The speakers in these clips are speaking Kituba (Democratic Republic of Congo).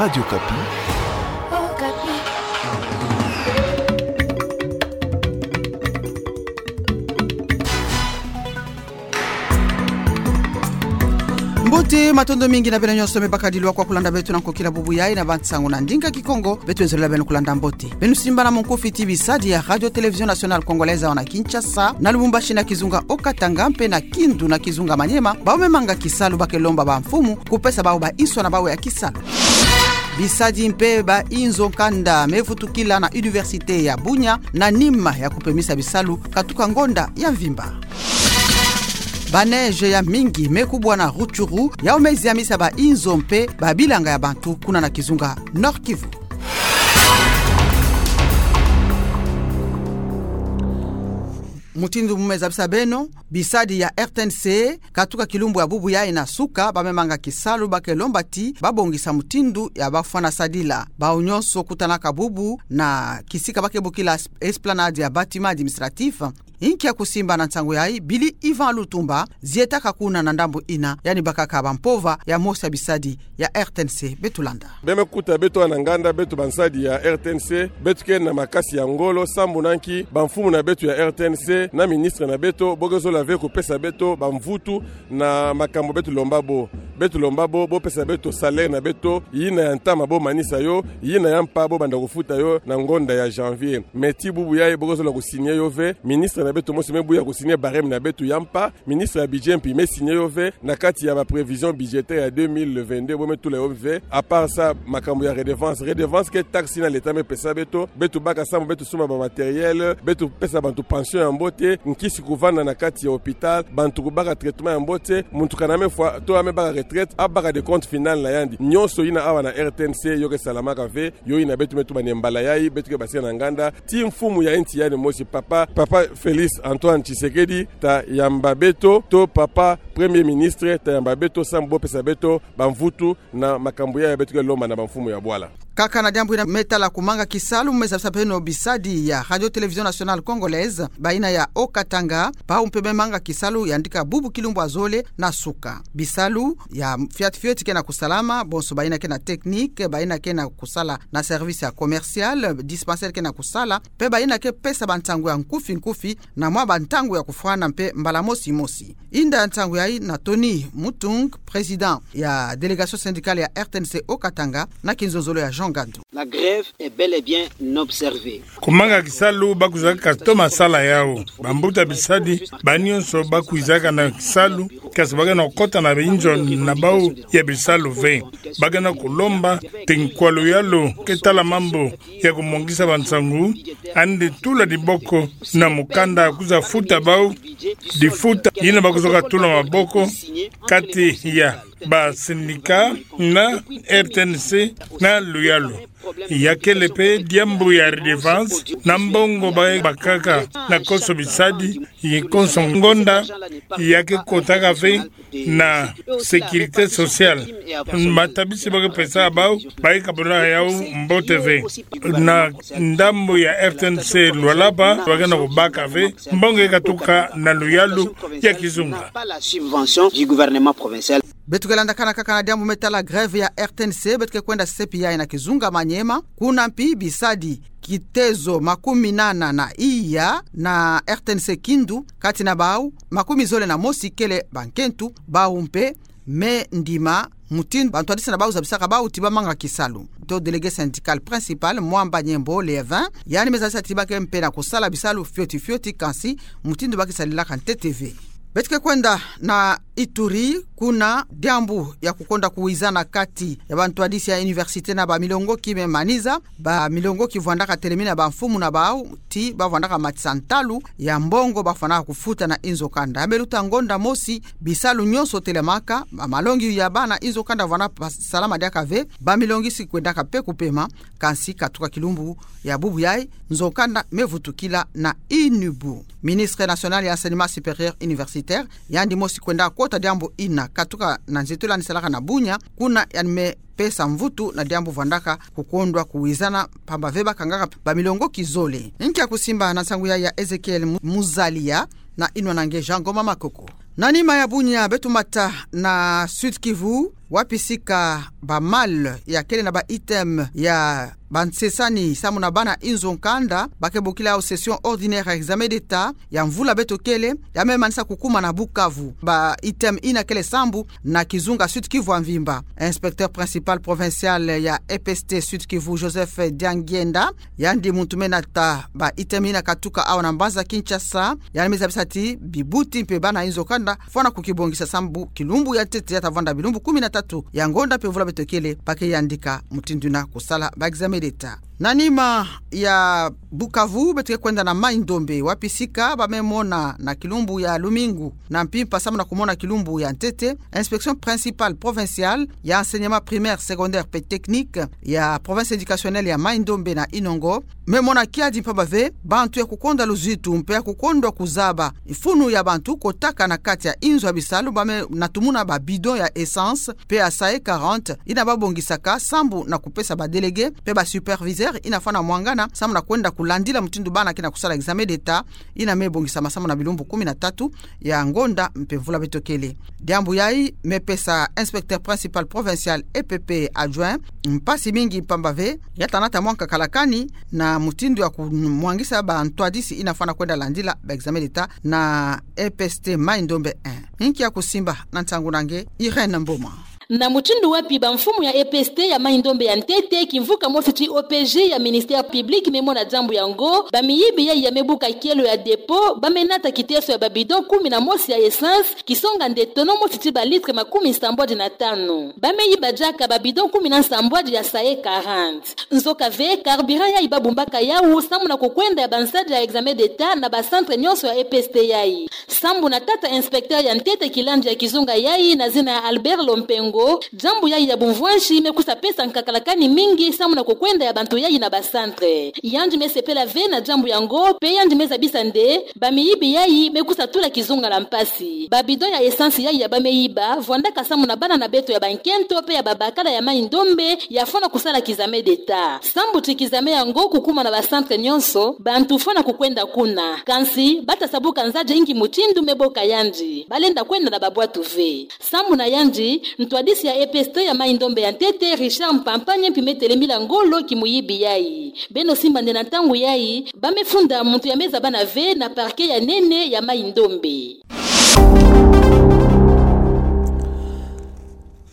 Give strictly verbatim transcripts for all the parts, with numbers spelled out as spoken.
Radio Okapi. Mbote, matondo mingi na beno nyonso me bakadilwa kwa kulanda beto na nkokila bubu yayi na bansangu na ndinga Kikongo. Beto enzolela beno kulanda mbote. Beno simbana munkufi ti bisadi ya Radio Télévision Nationale Congolaise awa na Kinshasa, na Lubumbashi na kizunga Haut-Katanga, mpe na Kindu na kizunga Maniema, bawu me manga kisalu ba ke lomba bamfumu kupesa bawu bainso na bawu ya kisalu. Bisadi mpe ba inzo kanda me vutukila na Université ya Bunia, na nima ya kupemisa bisalu katuka ngonda ya mvimba. Ba neige ya mingi me kubwa na Rutshuru, yawu me ziamisa ba inzo mpe ba bilanga ya bantu kuna na kizunga Nord-Kivu. Mutindu mu me zabisa beno, bisadi ya R T N C, katuka kilumbu ya bubu yayi na suka, ba me manga kisalu ba ke lomba ti ba bongisa mutindu ya ba fwana sadila. Bawu nyonso kutanaka bubu na kisika ba ke bokila Esplanade ya Bâtiment Administratif. Inki ya kusimba na nsangu yayi, Billy Yvan Lutumba, zietaka kuna na ndambu ina, yandi bakaka bampova ya mosi ya bisadi ya R T N C. Beto landa. Beno me kuta beto awa na nganda, beto bansadi ya R T N C, beto ke na makasi ya ngolo, sambu na nki bamfumu na beto ya R T N C na ministre na beto, bo ke zola ve kupesa beto bamvutu na makambu beto lomba bo. Beto lomba bo, bo pesa beto salaire na beto, yina ya ntama bo manisa yo, yina ya mpa bo banda kufuta yo na ngonda ya janvier. Mais ti bubu yayi bo ke zola kusigner yo ve, ministre na beto mosi me buya kusigner barème na beto ya mpa, ministre ya budget mpi me signer yo ve, na kati ya ba prévision budgétaire ya deux mille vingt-deux, bo me tula yo ve. À part ça, makambu ya redevance, redevance ke taxe yina l'État me pesa beto, beto baka sambu beto sumba ba matériel, beto pesa bantu pension ya mbote, nkisi kuvanda na kati ya hôpital, bantu kubaka traitement ya mbote, muntu kana me fwa, to a me baka retraite, abaka de compte final na yandi. Nyonso yina awa na R T N C yo ke salamaka ve, yo yina beto me tuba ni mbala yayi, beto ke basika na nganda, ti mfumu ya insi yandi mosi, papa, papa Félix Antoine Tshisekedi, ta yamba beto, to papa Premier Ministre, ta yamba beto, sambu bo pesa beto bamvutu na makambu yayi beto ke lomba na bamfumu ya bwala. Kaka na diambu yina me tala kumanga kisalu, me zabisa beno bisadi ya Radio Télévision Nationale Congolaise, bayina ya Haut-Katanga, bawu mpe me manga kisalu yandi ka bubu kilumbu ya zole na suka. Bisalu ya fioti fioti ke na kusalama, bonso bayina ke na technique, bayina ke na kusala na service ya commercial, dispensaire ke na kusala, mpe bayina ke pesa bansangu ya nkufi nkufi, na mwa bansangu ya kufwana mpe mbala mosi mosi. Inda ya nsangu yayi na Tony Mutung, président ya délégation syndicale ya R T N C Haut-Katanga, na kinzonzolo ya Jean Ngandu. La grève est bel et bien observée. Kumanga kisalu ba kwizaka kastoma sala yawu. Bambuta bisadi, bawu nyonso ba kwizaka na kisalu, kasi ba ke na kukota na binzo na bawu ya bisalu ve. Ba ke na kulomba ti nkwa luyalu ke tala mambu ya kumongisa bansangu, yandi tula diboko na mukanda kwiza futa bawu difuta yina ba kwizoka tula maboko kati ya ba syndicat na R T N C na luyalu. Ya kele mpe diambu ya redevance na mbongo ba bakaka na konso bisadi, ye konso ngonda, ya ke kotaka ve na sécurité sociale. Matabisi ba ke pesa bawu, ba ke kabula yawu mbote ve. Na ndambu ya R T N C Lualaba, ba ke na kubaka ve mbongo ya katuka na luyalu ya kizunga. Pas la subvention du gouvernement provincial. Beto ke landakana kaka na diambu me tala grève ya R T N C, beto ke kwenda sepi yayi na kizunga Maniema, kuna mpi bisadi kitezo makumi nana na iya na R T N C Kindu, kati na bawu makumi zole na mosi kele bankentu, bawu mpe me ndima mutindu bantwadisi na bawu zabisaka bawu ti ba manga kisalu. To délégué syndical principal, Mwamba Nyembo Lévin, yandi me zabisa ti ba ke mpe na kusala bisalu fioti fioti, kansi mutindu ba ke salilaka ntete ve. Beto ke kwenda na Ituri, kuna diambu ya kukonda kuwizana kati ya bantwadisi ya université na bamilongoki me maniza, bamilongoki vwandaka telemina bamfumu na bawu ti ba vwandaka matisa ntalu ya mbongo ba fwanaka kufuta na inzo kanda. Ya me luta ngonda mosi, bisalu nyonso telamaka, bamalongi ya bana inzo kanda vwanda salama diaka ve, bamilongi si kwendaka mpe kupema, kansi katuka kilumbu ya bubu yayi, nzo kanda me vutukila na inubu. Ministre national ya enseignement supérieur universitaire, yandi mosi kwenda kota diambu ina, katuka na nzietolo yandi salaka na Bunia, kuna yandi me pesa mvutu na diambu vwandaka kukondwa kuwizana, pamba ve ba kangaka bamilongoki zole. Nkia kusimba na nsangu yayi ya Ezekiel Mu-, Muzalia, na inwa na nge Jean Ngoma Makoko. Na nima ya bunya beto mata na Sud-Kivu, wapi sika ba malle ya kele na ba items ya bansesani samu na bana inzo nkanda, ba ke bokila au session ordinaire ya examen d'État ya mvula beto kele, ya me manisa kukuma na Bukavu. Ba items ina kele sambu na kizunga Sud-Kivu ya mvimba. Inspecteur principal provincial ya E P S T Sud-Kivu, Joseph Diangienda, yandi muntu me nata ba items ina katuka awa na mbanza Kinshasa, yandi me zabisa ti bibuti mpe bana inzo nkanda fwana kukibongisa sambu kilumbu ya ntete ya ta vwanda bilumbu kumi na tatu ya ngonda mpe mvula beto kele, ba ke yandika mutindu ina kusala ba examen d'État. Na nima ya Bukavu, beto ke kwenda na Mai-Ndombe, wapi sika ba me mona na kilumbu ya lumingu na mpimpa samu na kumona kilumbu ya ntete, inspection principale provinciale ya enseignement primaire, secondaire mpe technique ya province éducationnelle ya Mai-Ndombe na Inongo, me mona kiadi mpamba ve bantu ya kukonda luzitu mpe ya kukondwa kuzaba mfunu ya bantu kotaka na kati ya inzo ya bisalu, ba me natumuna ba bidon ya essence mpe ya SAE quarante ina ba bongisaka sambu na kupesa ba délégués mpe ba superviseurs ina fwana mwangana samu na kwenda kulandila mutindu bana ke na kusala examen d'État ina me bongisama samu na bilumbu kumi na tatu ya ngonda mpe mvula beto kele. Diambu yai me pesa inspecteur principal provincial, E P P adjoint, mpasi mingi mpamba ve ya ta nata mwa nkakalakani na mutindu ya kumwangisa ba ntwadisi ina fwana kwenda landila ba examen d'État na E P S T Mai-Ndombe un. Nki ya kusimba na ntangu na nge, Irène Mboma. Na mutindu wapi ba mfumu ya E P S T ya Mai-Ndombe ya ntete, kimvuka mosi ti O P J ya ministère public, me mona diambu yango, ba miyibi yai ya me buka kielo ya dépôt ba me nata kiteso ya ba bidon kumi na mosi ya essence, kisonga nde tono mosi ti ba litres makumi nsambwadi na tanu. Ba me yiba diaka ba bidon kumi na nsambwadi ya SAE quarante. Nzoka ve, carburant yai ba bumbaka yau samu na kukwenda ya bansadi ya examen d'État na ba centres nyonso ya E P S T yai. Sambu na tata inspecteur ya ntete kilandi ya kizunga yai na zina ya Albert Lompengo, diambu yai ya bumvwansi me kusa pesa nkakalakani mingi samu na kukwenda ya bantu yai na ba centres. Yandi me sepela ve na diambu yango, mpe yandi me zabisa nde ba miyibi yai me kusa tula kizunga na mpasi. Ba bidon ya essence yai ya ba me yiba vwandaka samu na bana na beto ya bankento mpe ya babakala ya Mai-Ndombe ya fwana kusala kizame d'État. Sambu ti kizame yango kukuma na ba centres nyonso, bantu fwana kukwenda kuna. Kansi ba ta sa buka nzadi inki mutindu me boka yandi. Ba lenda kwenda na babwatu ve. Sambu na yandi, ntwadisi ya E P S T ya Mai-Ndombe ya ntete, Richard Mpampanye, mpi me telemila ngolo ki muyibi yai. Beno simba nde na ntangu yai ba me funda muntu ya me zabana ve na parquet ya nene ya Mai-Ndombe.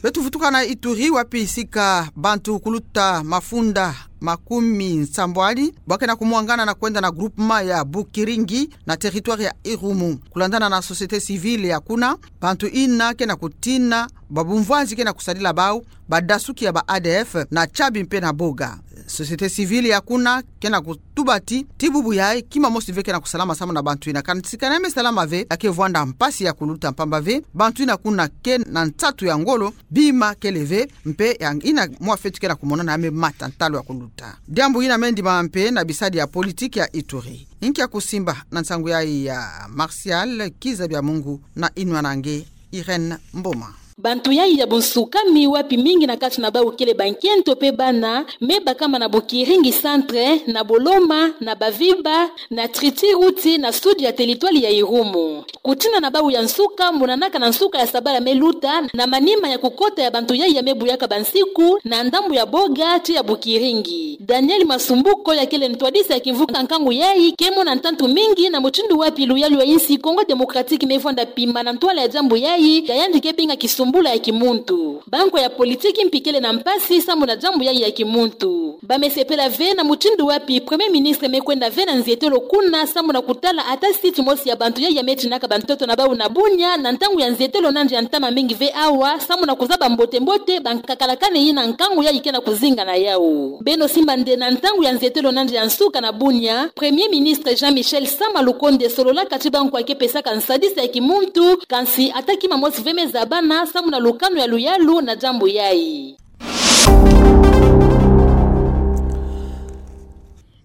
Beto vutuka na Ituri, wapi sika bantu kuluta mafunda makumi nsambwadi ba ke na kumwangana na kwenda na groupement ya Bukiringi na territoire ya Irumu. Kulandana na société civile ya kuna, bantu ina ke na kutina ba bumvwanzi ke na kusadila bau, badasuki ya ba A D F na Tchabi mpe na Boga. Société civile ya kuna ke na kutuba ti, ti bubu yai kima mosi ve ke na kusalama samu na bantu ina. Kansi kana me salama ve, ya ke vwanda mpasi ya kuluta mpamba ve bantu ina kuna ke na nsatu ya ngolo, bima kele ve, mpe ya ina mwa fetu ke na kumonana ya me mata ntalu ya kuluta. Diambu ina me ndima mpe na bisadi ya politique ya Ituri. Nki ya kusimba na nsangu yai ya Martial Kiza Bya Mungu na inwa na nge, Irène Mboma. Bantu yai ya bunsukami, wapi mingi na kati na bau kele bankento mpe bana, me bakama na Bukiringi centre, na Boloma, na Baviba, na Tritiruti, na sud ya territoire ya Irumu. Kutina na bau ya nsuka monanaka na nsuka ya sabala me luta, na manima ya kukota ya bantu yai ya me buyaka bansiku na ndambu ya Boga ti ya Bukiringi. Daniel Masumbuko, ya kele ntwadisi ya kimvuka nkangu yai, ke mona ntantu mingi na mutindu wapi luyalu ya insi Congo Démocratique me vwanda pima na ntwala ya diambu yai, ya yandi ke binga kisumbula ya kimuntu. Bankwa ya politique mpi kele na mpasi samu na diambu yai ya kimuntu. Ba me sepela ve na mutindu wapi Premier Ministre me kwenda ve na nzietelo kuna samu na kutala ata site mosi ya bantu yai ya me tinaka bantoto na bau na Bunia, na ntangu ya nzietelo nandi ya ntama mingi ve awa, samu na kuzaba mbote-mbote bankakalakani ina nkangu yai ke na kuzinga na yau. Beno simba nde na ntangu ya nzietelo nandi ya nsuka na Bunia, Premier Ministre Jean-Michel Sama Lukonde sololaka ti bankwa ke pesaka nsadisi ya kimuntu, kansi ata kima mosi ve me zabana samu na lukanu ya luyalu na diambu yai.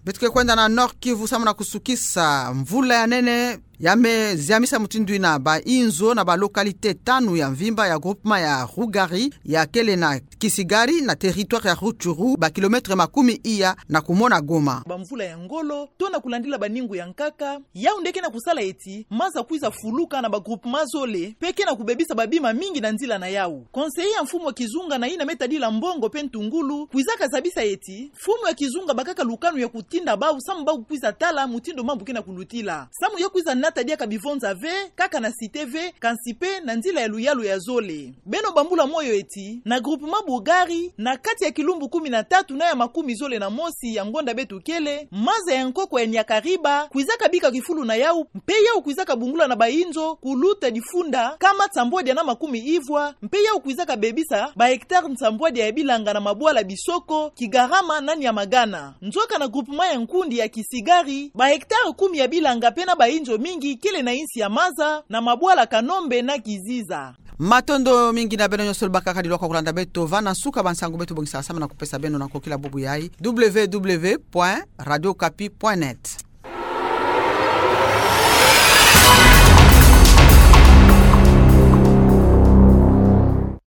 Beto ke kwenda na Nord-Kivu samu na kusukisa. Mvula ya nene Ya me ziamisa mutindu ina ba inzo na ba localité tanu ya mvimba ya groupement ya Rugari, ya kele na Kisigari, na territoire ya Rutshuru, ba kilomètre makumi iya na kumona Goma. Ba mvula ya ngolo, to na kulandila baningu ya nkaka, yau nde ke na kusala eti maza kwiza fuluka na ba groupement zole, mpe ke na kubebisa ba bima mingi na nzila na yau. Conseiller ya mfumu ya kizunga na ina me tadila mbongo mpe ntungulu, kwizaka zabisa eti mfumu ya kizunga bakaka lukanu ya kutinda bau samu bau kwiza tala mutindu mambu ke na kulutila. Samu ya kwiza nata diaka bivonza ve, kaka na cité ve, kansi mpe na nzila ya luyalu ya zole. Beno bambula moyo eti, na groupement Bugari, na kati ya kilumbu kumi na tatu na ya makumi zole na mosi ya ngonda beto kele, maza ya nkoko ya Nyakariba kwizaka bika kifulu na yau, mpe yau kwizaka bungula na ba inzo kuluta difunda nkama nsambwadia na makumi ivwa, mpe yau kwizaka bebisa ba hectare nsambwadia ya bilanga na mabwala Bisoko, Kigarama na Nyamagana. Nzoka na groupement ya nkundi ya Kisigari, ba hectare kumi ya bilanga mpe na ba inzo mingi kele na insi ya maza, na mabwala Kanombe na Kiziza. Matondo mingi na beno nyonso lubakaka dilwa kwa kulanda beto. Va na nsuka ba nsangu beto bongisaka samu na kupesa beno na nkokila bubu yayi, www point radiokapi point net.